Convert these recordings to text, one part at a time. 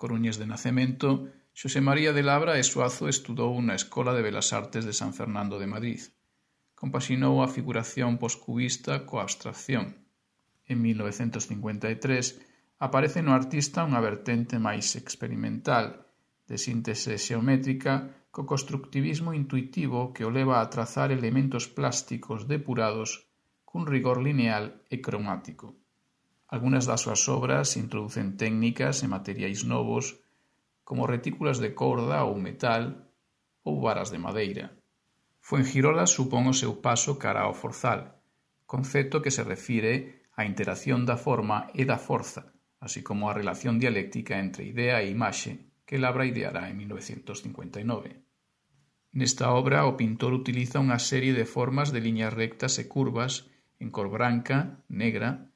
coruñés de nacemento, Xosé María de Labra e Suazo estudou na Escola de Belas Artes de San Fernando de Madrid. Compaxinou a figuración poscubista coa abstracción. En 1953 aparece no artista unha vertente máis experimental, de síntese xeométrica, co constructivismo intuitivo que o leva a trazar elementos plásticos depurados cun rigor lineal e cromático. Algunhas das súas obras introducen técnicas e materiais novos, como retículas de corda ou metal ou varas de madeira. Fuengirola supón o seu paso cara ao forzal, concepto que se refire á interacción da forma e da forza, así como a relación dialéctica entre idea e imaxe que Labra ideará en 1959. Nesta obra, o pintor utiliza unha serie de formas de liñas rectas e curvas en cor branca, negra,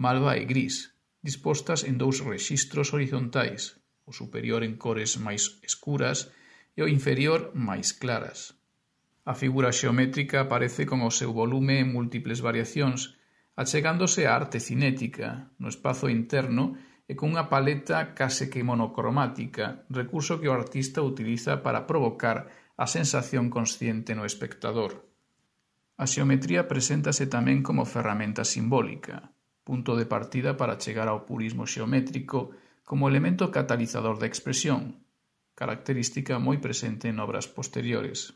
malva e gris, dispostas en dous rexistros horizontais, o superior en cores máis escuras e o inferior máis claras. A figura xeométrica aparece con o seu volume en múltiples variacións, achegándose á arte cinética, no espazo interno e cunha paleta case que monocromática, recurso que o artista utiliza para provocar a sensación consciente no espectador. A xeometría preséntase tamén como ferramenta simbólica, punto de partida para chegar ao purismo xeométrico como elemento catalizador da expresión, característica moi presente en obras posteriores.